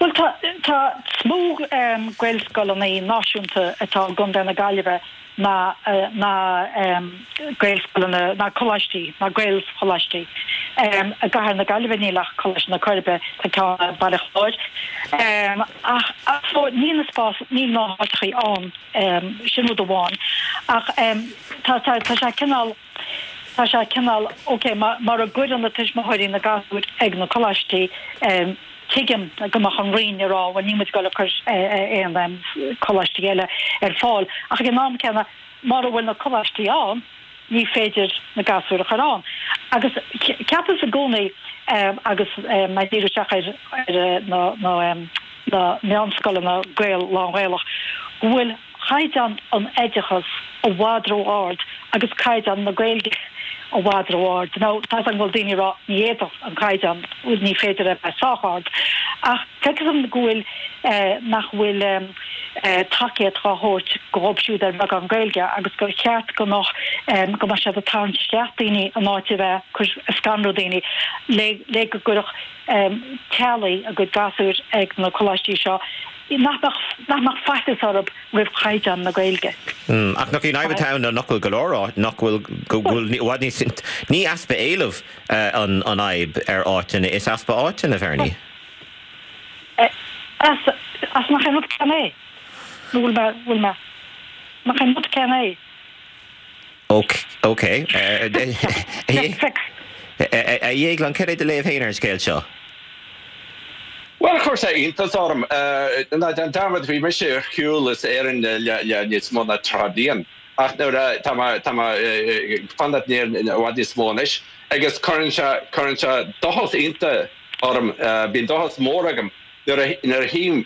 Bhuel, tá, tá, is mó Gaelscoileanna náisiúnta atá i gContae na Gaillimhe ná, ná Gaelscoileanna, ná coláistí, ná Gaelcholáistí. I gcathair na Gaillimhe níl ach Coláiste na Coiribe, tá ceann i Baile Chláir. Ach, so níl na spás, níl na háiteachaí ann, sin rud amháin. Ach tá, tá, tá sé cineál, tá sé cineál, ok, mura gcuireann na tuismitheoirí na gasúir ag na coláistí, Tuigim go mbeadh an Roinn ag rá, bhuel níl muid ag dul ag cur aon coláistí eile ar fáil, ach ag an am céanna, mura bhfuil na coláistí ann, ní féidir na gasúir a chur ann. Agus cheapas i gcónaí, agus mé ag díriú isteach ar na meánscoileanna Gael, lán-Ghaelach, go bhfuil caighdeán an oideachas i bhfad ró-ard agus caighdeán na Gaeilge i bhfad ró-ard. Now, tá 's agam go bhfuil daoine ag rá ní fhéadfadh an caighdeán, ní féidir é a bheith sách ard, ach feictear dom go bhfuil, nach bhfuil tacaíocht á thabhairt dhóibh siúd ar bheagán Gaeilge agus gur cheart go mbeadh, go mbeadh siad ag tarraingt isteach daoine in áit a bheith ag cur, ag scanrú daoine le, le go gcuirfeadh teaghlaigh a gcuid gasúir ag na coláistí seo nach mbeadh, nach mbeadh faitíos orthu roimh chaighdeán na Gaeilge. Ach nach í an fhadhb atá ann ná nach bhfuil go leor áit, nach bhfuil, go bhfuil i bhfad níos, ní easpa éilimh an fhadhb ar áiteanna, is easpa áiteanna, a Bhernie. As, as nach é an rud céanna é? Nó bhfuil mé, bhfuil mé, nach é an rud céanna é? Ok, ok. A Dhéagláin, cad é do léamh féin ar an scéal seo? Bhuel, chuir sé iontas orm. Ná déan dearmad, bhí mise ar shiúl as Éirinn le níos mó ná 30 bliain, ach nuair a, tá mé, tá mé ag fanacht in Éirinn i bhfad níos mó anois, agus cuireann sé, cuireann sé dóchas iontach orm, bíonn dóchas mór agam nuair a, nuair a chím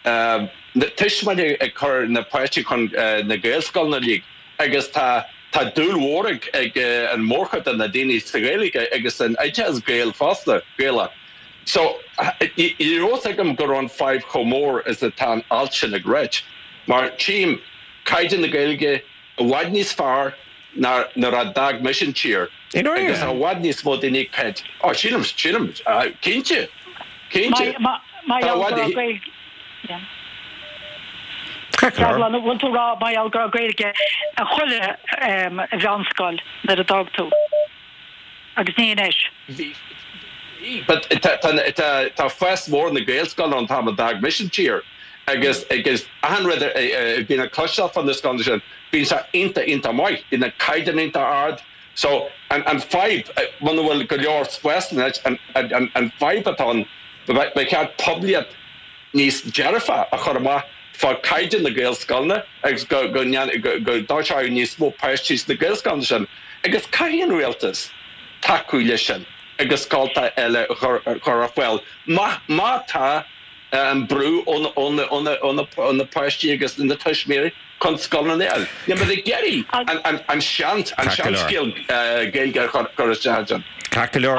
na tuismitheoirí ag cur na páistí chun na Gaelscoileanna uilig. Agus tá tá dúil mhór ag ag an mórchuid de na daoine sa Ghaeilge agus san oideachas Gael fosta, Gaelach. So, ní raibh fhios agam go raibh an fadhb chomh mór is atá an alt sin ag ráit. Mar tchím caighdeán na Gaeilge i bhfad níos fearr. ná nuair a d'fhág mise an tír. Agus tá i bhfad níos mó daoine ag caint. Ó, sílim, sílim, cinnte, cinnte. Mar gheall go raibh Gaeilge. Deaglán, an bhfuil tú ag rá mar gheall go raibh Gaeilge i chuile mheánscoil nuair a d'fhág tú? Agus ní anois. Bhí, bhí, but tá fás mór na Gaelscoileanna ón t-am a d'fhág mise an tír agus agus achan rud a bhíonn le cloisteáil fá na scoileanna sin, bíonn sé iontach, iontach maith, bíonn an caighdeán iontach ard. So, an an fadhb, muna bhfuil go leor spásanna anois, an an an fadhb atá ann, ba cheart poiblíocht níos dearfa a chur amach fá caighdeán na Gaelscoileanna agus go go go go dtoiseoidh níos mó páistí sna Gaelscoileanna sin. Agus caithfidh an rialtas tacú leis sin agus scolta eile a chur ar fáil má má tá an brú ó na páistí agus na tuismitheoirí chun scoileanna a fháil. Níl muid ag iarraidh an seanscéal Gaeilge a chur isteach ansin. Ceart go leor,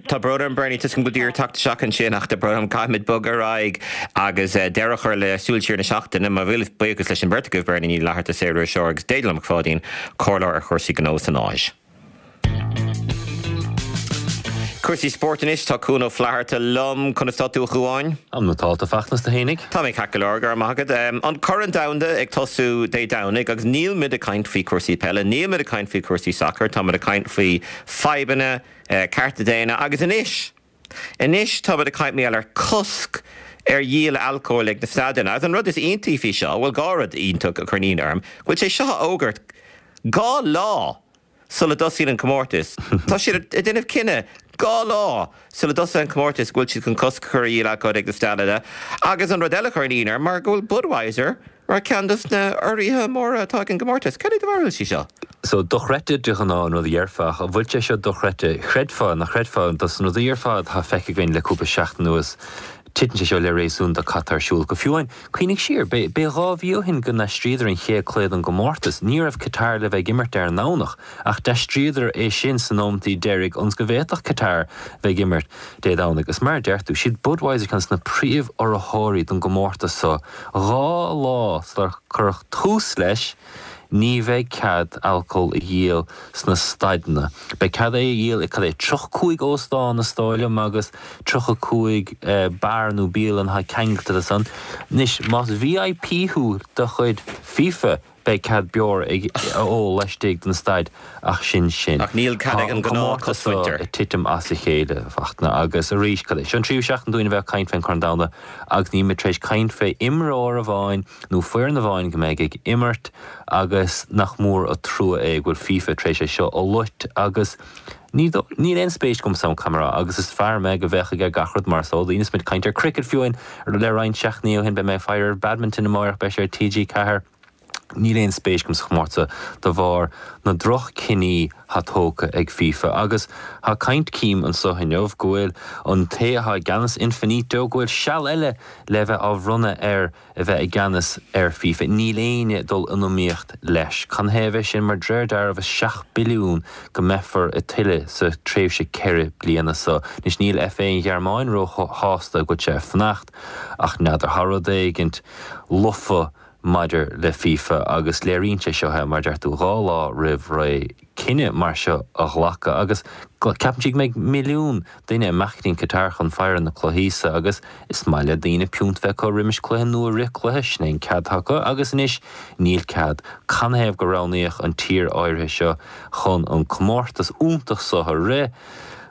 tá brón orm Bernie, tuigim go bhfuil tú ag iarraidh teacht isteach ansin ach tá brón orm, caithfimid bogadh ar aghaidh agus deireadh a chur le Súil Siar na Seachtaine. Mo mhíle buíochas leis an mbeirt agaibh, Bernie Ní Fhlatharta, saoririseoir agus Déaglán Mac Pháidín, comhairleoir ar chúrsaí gnó san Áis. Cúrsaí spóirt anois, tá Cuan Ó Flatharta liom. Conas tá tú a Chuáin? Tá mé nótálta, a Fhachtna, is tú fhéinig? Tá mé ceart go leor, go raibh maith agat. An Corn Domhanda ag tosú Dé Domhnaigh agus níl muid ag caint faoi chúrsaí peile, níl muid ag caint faoi chúrsaí sacair, tá muid ag caint faoi fadhbanna cearta daonna agus anois, anois tá muid ag caint mar gheall ar cosc ar dhíol alcóil ag na staideanna. Agus an rud is iontaí faoi seo, bhuel dhá rud iontach a chuireann ionadh orm, go bhfuil sé seo á fhógairt dhá lá sula dtosaíonn an comórtas. Tá siad ag déanamh cinneadh dhá lá sula dtosaíonn an comórtas go bhfuil siad chun cosc a chur ar dhíol alcóil ag na staideanna. Agus an rud eile a chuireann ionadh orm mar go bhfuil Budweiser mar cheann dos na urraithe móra atá ag an gcomórtas. Cad é do bharúil faoi seo? So, dochreidte de ghnáth an rud a dhéarfá, ach an bhfuil sé seo dochreidte? Chreidfeá, nach chreidfeá, dos na rudaí ar fad atá feicthe againn le cúpla seachtain anuas, Titeann sé seo le réasún do cad tá ar siúl. Go fiú amháin, cuimhnigh siar, b'é 2 mhí ó shin go n-aistríodar an chéad cluiche den gcomórtas. Ní raibh Qatar le bheith ag imirt ar an nDomhnach, ach d'aistríodar é sin sna nóimeataí deiridh ionas go bhféadfadh Qatar bheith ag imirt Dé Domhnaigh. Is mar a deir tú, siad Budweiser ceann de na príomh-urraitheoirí don gcomórtas so. Dhá lá sular cuireadh tús leis, ní bheidh cead alcól a dhíol sna staideanna. Beidh cead é a dhíol i, cad é, 35 óstán is dóigh liom agus 35 beár nó bialann atá ceangailte le san. Anois, más VIP thú de chuid FIFA, beidh cead beoir a ól laistigh den staid ach sin sin. Ach níl cead ag an gnáth seo ag titim as a chéile, a Fhachtna, agus arís, cad é, seo an tríú seachtain dúinn a bheith ag caint fén Chorn Domhanda agus níl muid tar éis caint fé imreoir amháin nó foireann amháin go mbeidh ag imirt agus nach mór an trua é go bhfuil FIFA tar éis é seo a loit agus ní níl aon spéis agamsa ann caithfidh mé a rá agus is fear mé go bhféachfaidh ar gach rud mar is eol daoine is muid ag caint ar cricket fiú amháin le roinnt seachtainí ó shin beidh mé ag faire ar badminton amáireach beidh sé ar TG4 Níl aon spéis agam sa chomórtas de bharr na droch-chinní thá tógtha ag FIFA agus thá caint cím anso inniu go bhfuil an té athá i gceannas Infinito go bhfuil seal eile le bheith á bhronnadh air a bheith i gceannas ar FIFA. Níl éinne ag dul in iomaíocht leis. Canathaobh é sin? Mar d'réir dealraimh is 7 billiún go mbeifear ag tuilleadh sa tréimhse 4 bliana so. Anois níl FA an Ghearmáin ró shásta go bhfuil sé ag fanacht ach n'fheadar thá rud éigint lofa maidir le FIFA agus léiríonn sé seo é mar a deir tú dhá lá roimh ré. cinneadh mar seo a ghlacadh agus ceapann siad go mbeidh milliún duine amach go dtí an Qatar chun faire na cluichí so agus is maith le daoine piúnt bheith acu roimis cluiche nó i rith cluiche, sin é an cead atá acu agus anois níl cead. Canathaobh gur roghnaíodh an tír áirithe seo chun an comórtas iontach so a rith?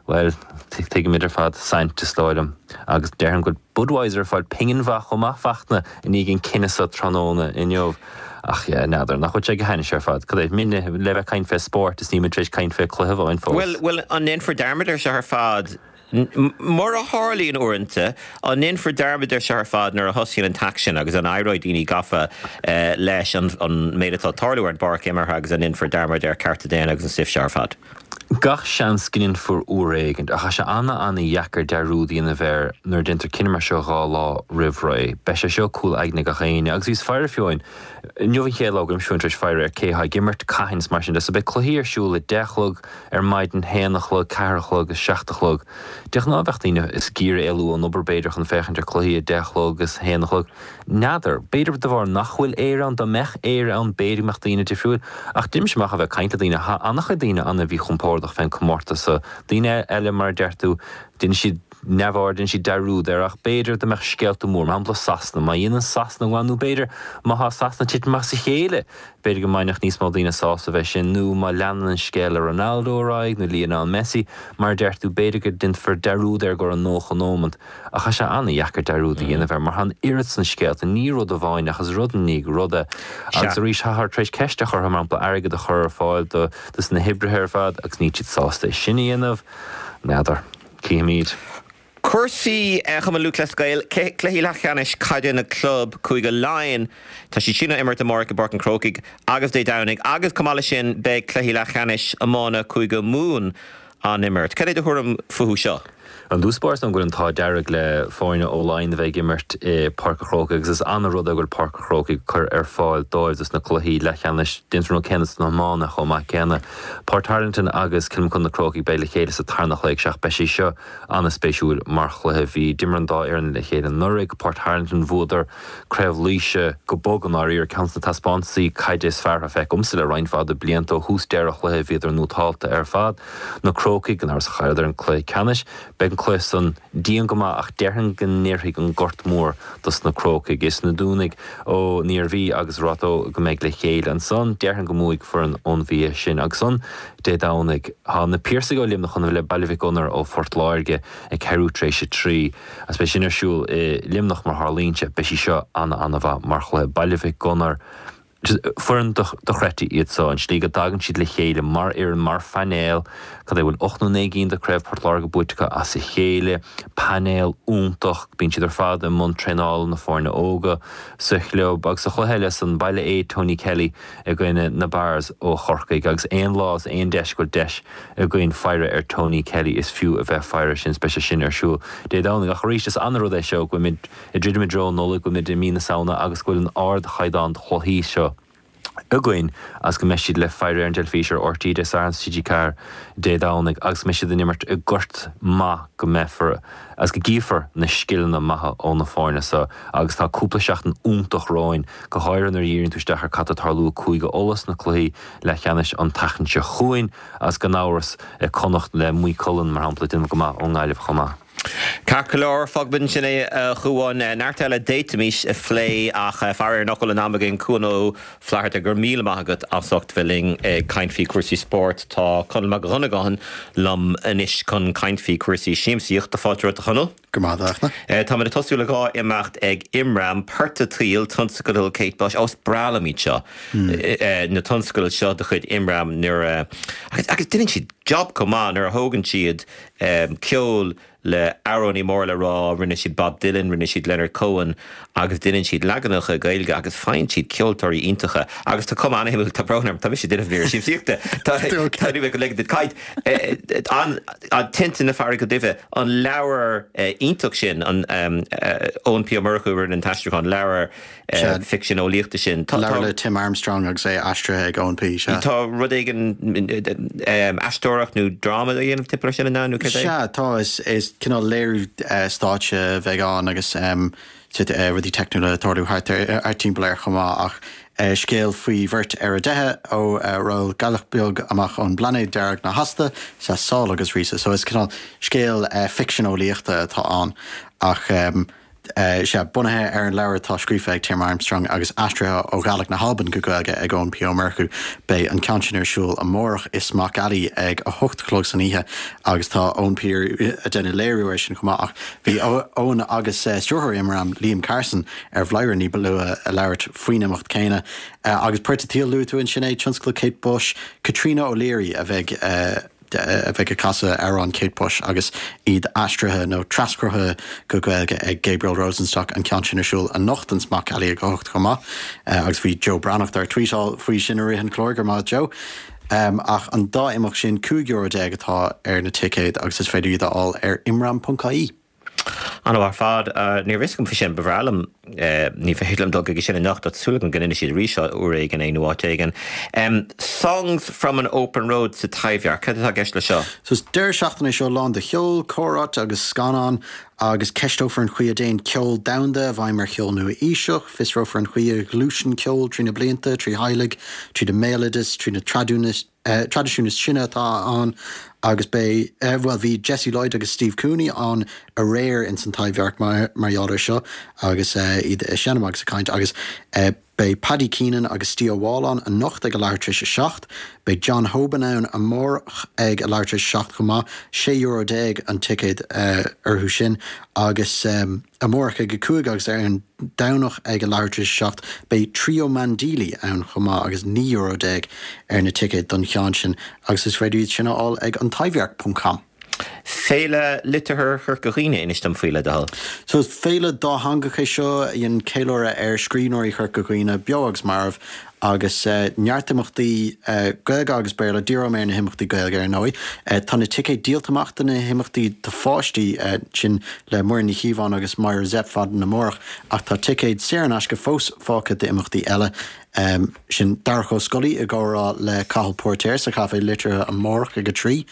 Bhuel, tuigimid ar fad, saint is dóigh liom agus déarfainn go bhfuil Budweiser ag fáil pingin mhaith chomh maith, Fachtna, i ndiaidh an cinneadh so tráthnóna inniu. Ach yeah, n'fheadar, nach bhfuil sé go hainnis ar fad? Cad é, muidne le bheith ag caint fé spórt is níl muid tar éis caint fé cluiche amháin fós. Bhuel, bhuel, an ndéanfar dearmad air seo ar fad? Mar a tharlaíonn uaireanta, an ndéanfar dearmad air seo ar fad nuair a thosaíonn an t-aicsean agus an éireoidh daoine gafa leis an méid atá ag tarlú ar an bpáirc imeartha agus an ndéanfar dearmad ar cearta daonna agus an stuif seo ar fad? Gach seans go ndéanfar uair éigint, ach tá sé ana-ana-dheacair dearúd a dhéanamh air nuair a déantar cinneadh mar seo 2 lá roimh ré. Beidh sé seo cúl aigne gach éinne. Agus bhíos faire fiú amháin, inniu an chéad lá go raibh mise tar éis faire ar cé atá ag imirt, cathain is mar sin de. So beidh cluichí ar siúl a 10 a chlog ar maidin, haon a chlog, ceathair a chlog is seacht a chlog. De ghnáth bheadh daoine is ag iarraidh éalú ón obair b'fhéidir chun féachaint ar cluichí a 10 a chlog is haon a chlog. N'fheadar. B'fhéidir de bharr nach bhfuil Éire ann, dá mbeadh Éire ann b'fhéidir go mbeadh daoine difriúil. Ach deirimse amach a bheith ag caint le daoine, tá an-chuid daoine an-mhíchompordach fén comórtas so. Daoine eile, mar a deir tú, déanann siad neamhaird, déanann siad dearúd air ach b'fhéidir dá mbeadh scéalta mór, mar shampla Sasana, má dhéanann Sasana go maith nó b'fhéidir má thá Sasana ag titim as a chéile, b'fhéidir go mbainfeadh níos mó daoine sásamh as sin nó má leanann an scéal le Ronaldo ar aghaidh nó Lionel Messi, mar a deir tú, b'fhéidir go déanfar dearúd air i gcomhair an 90 nóimeant. Ach tá sé an-dheacair dearúd a dhéanamh air mar tá an oiread san scéalta, ní rud amháin ach is rud i ndiaidh ruda. Agus arís, táthar tar éis ceist a chur orthu, mar shampla, airgead a chur ar fáil do dos na hoibrithe ar fad agus níl siad sásta é sin a dhéanamh. N'fheadar. Cífimid. Cúrsaí Chumann Lúthchleas Gael, Cluichí leathcheannais caide na gclub Cúige Laighean, tá siad sin á imirt amárach i bPáirc an Chrócaigh agus Dé Domhnaigh agus chomh maith leis sin beidh cluichí leathcheannais iomána Cúige Mumhan á n-imirt. Cad é do thuairim fúthu seo? I dtús báire is dóigh go bhfuil an t-ádh dearg le foirne ó Laighin a bheith ag imirt i Páirc an Chrócaigh agus is an-rud é go bhfuil Páirc an Chrócaigh curtha ar fáil dóibh dos na cluichí leathcheannais. Déanfar an rud céanna sna hiomána chomh maith céanna. Portarlington agus Cill Mochuda Na Crócaigh beidh le chéile sa tarna chluiche ag 7. Beidh sé seo an-spéisiúil mar chluiche. Bhí d'imir an dá fhoireann le chéile anuraidh. Portarlington bhuadar Craobh Laoise go bog i ndáiríre, ceann de na taispeántaisí caide is fearr atá feicthe agamsa le roinnt mhaith de blianta. Ó thús deireadh an chluiche bhíodar nótálta ar fad. Na Crócaigh, gan amhras, chailleadar an cluiche ceannais. Beidh an cluiche san dian go maith ach déarfainn go n-oirfidh an Gort Mór dos na Crócaigh. Is na Dúnaigh ón Iarmhí agus Ráth Tó go mbeidh le chéile ansan. Déarfainn go mbuafaidh foireann ón Mhí sin. Agus ansan Dé Domhnaigh tá na Piarsaigh ó Luimneach chun a bheith le Baile Mhic Gonair ó Phort Láirge ag ceathrú tar éis a 3. Agus beidh sin ar siúl i Luimneach mar tharlaíonn sé. Beidh sí seo ana-ana-mhaith mar chluiche. Baile Mhic Gonair, foireann dochreidte iad so. An tslí go dtagann siad le chéile mar fhoireann, mar phainéal, cad é, bhfuil 8 nó 9 gcinn de Craobh Port Láirge buaite acu as a chéile. Painéal iontach. Bíonn siad ar fad i mbun traenála na foirne óga sa chlub. Agus sa chluiche eile san, Baile Aodha, Tony Kelly i gcoinne na Barrs ó Chorcaigh. Agus aon lá is aon deis go bhfuil deis againn faire ar Tony Kelly is fiú a bheith faire sin is beidh sé sin ar siúl Dé Domhnaigh. Ach arís is an-rud é seo go bhfuilimid ag druidim i dtreo an Nollaig, go bhfuilimid i mí na Samhna agus go bhfuil an ardchaighdeán de chluichí seo againn agus go mbeidh siad le faire ar an dteilifís ar RTÉ Dé Sathairn is TG4 Dé Domhnaigh agus go mbeidh siad in imirt i ngort maith go mbeifear agus go gcífear na scileanna maithe ó na foirne seo agus tá cúpla seachtain iontach romhainn, go háirithe nuair a dhíríonn tú isteach ar cad tá ag tarlú i Cúige Uladh sna cluichí leathcheannais an tseachtain seo chugainn agus gan amhras Connacht le Maigh Cuilinn, mar shampla, ag déanamh go maith ón nGaillimh chomh maith. Ceart go leor, fágfaimid ansin é a Chuáin. Neart eile d'fhéadfaimis a phlé ach faraor nach bhfuil an am againn. Cuan Ó Flatharta, go raibh míle maith agat as ucht bheith linn ag caint faoi chúrsaí spóirt. Tá Conall Mac Dhonnagáin liom anois chun caint faoi chúrsaí siamsaíochta. Fáilte romhat a Chonaill. Go maith, a Fhachtna. Táimid ag tosú le 2 imeacht ag Imram, Port a' tSaoil, tionscadal Kate Bush. Ó, is breá liom iad seo, na tionscadail seo de chuid Imram nuair a, agus, agus déanann siad job chomh maith nuair a thógann siad ceol le amhránaí mór le rá, rinne siad Bob Dylan, rinne siad Leonard Cohen agus déanann siad leaganacha Gaeilge agus faigheann siad ceoltóirí iontacha agus tá cuma an-shuimiúil, tá brón orm, tá mise ag déanamh mír siamsaíochta, tá, tá, ní bheidh go leigfidh duit caint, an, an Tinte na Farraige Duibhe. An leabhar iontach sin, an Eoin P. Ó Murchú a rinne an t-aistriúchán, leabhar ficsean eolaíochta sin. Tá. Leabhar le Tim Armstrong agus é aistrithe ag Eoin P. Sea. Tá rud éigin, aisteoireacht nó dráma á dhéanamh timpeall air sin, an ea, nó céard é? Sea, tá. Is cineál léiriú stáitse a bheidh ann agus rudaí teicniúla ag tarlú thart timpeall air chomh maith ach scéal faoi bheirt ar a dteitheadh ó rollghealach beag amach ón bplainéad dearg na hAsta is ea Sál agus Ríosa. So is cineál scéal ficsean eolaíochta atá ann ach sea, bunaithe ar an leabhar atá scríofa ag Tim Armstrong agus aistrithe ó Ghàidhlig na hAlban go Gaeilge ag Eoin P. Ó Murchú. Beidh an ceann sin ar siúl amárach i Smock Alley ag a hocht a chlog san oíche agus tá Eoin P. ag déanamh léiriú air sin chomh maith ach bhí Eoin agus stiúrthóir Imram, Liam Carson, ar Bhladhaire ní ba luaithe ag labhairt faoin imeacht céanna. Agus Port a' tSaoil, luaigh tú ansin é, tionscadal Kate Bush, Caitríona O'Leary a bheidh a bheidh ag casadh amhráin Kate Bush agus iad aistrithe nó traschruthaithe go Gaeilge ag Gabriel Rosenstock, an ceann sin ar siúl anocht in Smock Alley ag a hocht chomh maith. Agus bhí Joe Breathnach dár tweetáil faoi sin i rith an chláir, go raibh maith agat Joe. Ach an dá imeacht sin, €15 euro atá ar na ticéid agus is féidir iad a fháil ar imram.ie. An-mhaith ar fad. Ní raibh fhios agam faoi sin. Ba bhreá liom, ní féidir liom dul chuige sin anocht ach súil agam go n-inseoidh siad arís uair éigin é nó áit éigin. Songs from an Open Road sa Taibhdhearc, cad atá i gceist le seo? So is deireadh seachtaine é seo lán de cheol, comhráite agus scannáin agus ceisteofar an chaoi a dtéann ceol domhanda i bhfeidhm ar cheol nua-aoiseach, fiosrófar an chaoi a ghluaiseann ceol trí na blianta, trí theaghlaigh, tríd an mbéaloideas, trí na traidisiúin is sine atá ann agus beidh, bhuel bhí Jesse Lloyd agus Steve Cooney ann aréir ins an Taibhdhearc mar gheall air seo agus iad ag seinm agus ag caint agus beidh Paddy Keenan agus Steve Ó Mhaoláin anocht ag a leathuair tar éis a 7. Beidh John Hoban ann amárach ag a leathuair tar éis a 7 chomh maith. €16 euro an ticéad orthu sin agus amárach ag a 5 agus ar an Domhnach ag a leathuair tar éis a 7 beidh Trio Mandili ann chomh maith agus €19 euro ar na ticéid don cheann sin agus is féidir iad sin a fháil ag antaibhdhearc ponc com. Féile Liteartha Chorca Dhuibhne, inis dom faoi le do thoil. So is féile dátheangach é seo a dhéanann ceiliúradh ar scríbhneoirí Chorca Dhuibhne, beo agus marbh, agus neart imeachtaí Gaeilge agus Béarla. Díreoidh mé ar na himeachtaí Gaeilge ar ndóigh. Tá na ticéid díolta amach do na himeachtaí do pháistí, sin le Muireann Ní Chíobháin agus Myra Zepf maidin amárach, ach tá ticéid saor in aisce fós fágtha d'imeachtaí eile. Sin Darach Ó Scolaí i gcomhrá le Cathal Póirtéir sa Chaifé Liteartha amárach ag 3.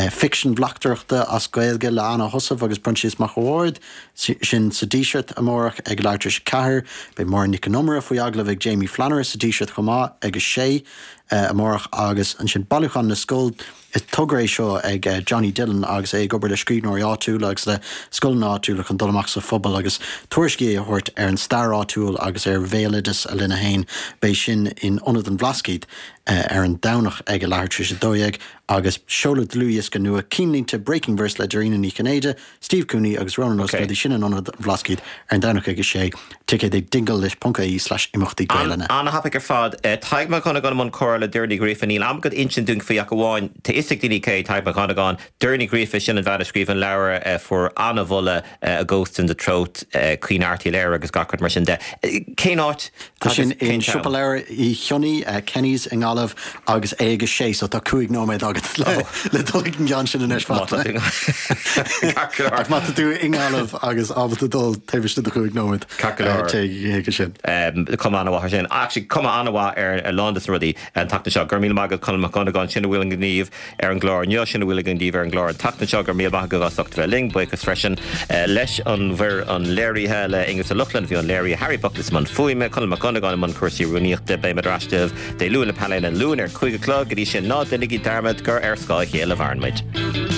Ficsean bleachtaireachta as Gaeilge le Anna Heussaff agus Proinsias Mac a' Bhaird, sin sa Díseart amárach ag leathuair tar éis a 4. Beidh Máire Nic Con Iomaire faoi agallamh ag Jamie Flannery sa Díseart chomh maith ag 6 amárach agus ansin Bailiúchán na Scol. Is togra é seo ag Johnny Dillon agus é ag obair le scríbhneoirí áitiúla agus le scoileanna áitiúla chun dul amach sa phobal agus tuairiscí a thabhairt ar an stair áitiúil agus ar bhéaloideas a linne féin. Beidh sin in Ionad an Bhlascaoid ar an Domhnach ag a leathuair tar éis 12 agus seoladh dlúthdhiosca nua Cinnlínte Breaking Verse le Dairena Ní Chinnéide, Steve Cooney agus Ronan Ó Snodaigh, sin in Ionad an Bhlascaoid ar an Domhnach ag 6, ticéid ag dinglelist.ie/imeachtaí Gaelainne. An-thapaidh ar fad. Tadhg Mac Dhonnagáin i mbun comhrá le Doireann Ní Ghríofa. Níl am agat insint dúinn faoi ach amháin, tá fhios ag daoine cé Tadhg Mac Dhonnagáin. Doireann Ní Ghríofa, sin an bhean a scríobh an leabhar a fuair an-mholadh, A Ghost in the Throat, Caoineadh Airt Uí Laoghaire agus gach rud mar sin de. Cén áit Tá sin in Siopa Leabhar Uí Chionnaith, Kenny's i nGaillimh agus é ag a sé so tá 5 nóiméad agat le dul ag an gceann sin anois Fachtna. Ach má tá tú i nGaillimh agus ábalta dul taobh istigh de chúig nóiméad, téigh chuige sin. Cuma an-mhaith air sin. Actually cuma an-mhaith ar a lán de na rudaí an tseachtain seo. Go raibh míle maith agat Conall Mac Dhonnagáin, sin a bhfuil againn daoibh ar an gclár inniu, sin a bhfuil againn daoibh ar an gclár an tseachtain seo. Go raibh míle maith agaibh as ucht a bheith linn. Buíochas freisin leis an bhfoireann léirithe, le Aonghus Ó Lochlainn a bhí i mbun léirithe, Harry Buckley i mbun fuaime, Conall Mac Dhonnagáin i mbun cúrsaí rúnaíochta. Beimid ar ais daoibh Dé Luain le Painéal an Luain ar 5 a chlog. Go dtí sin, ná déanaigí dearmad gur ar scáth a chéile a mhaireann muid.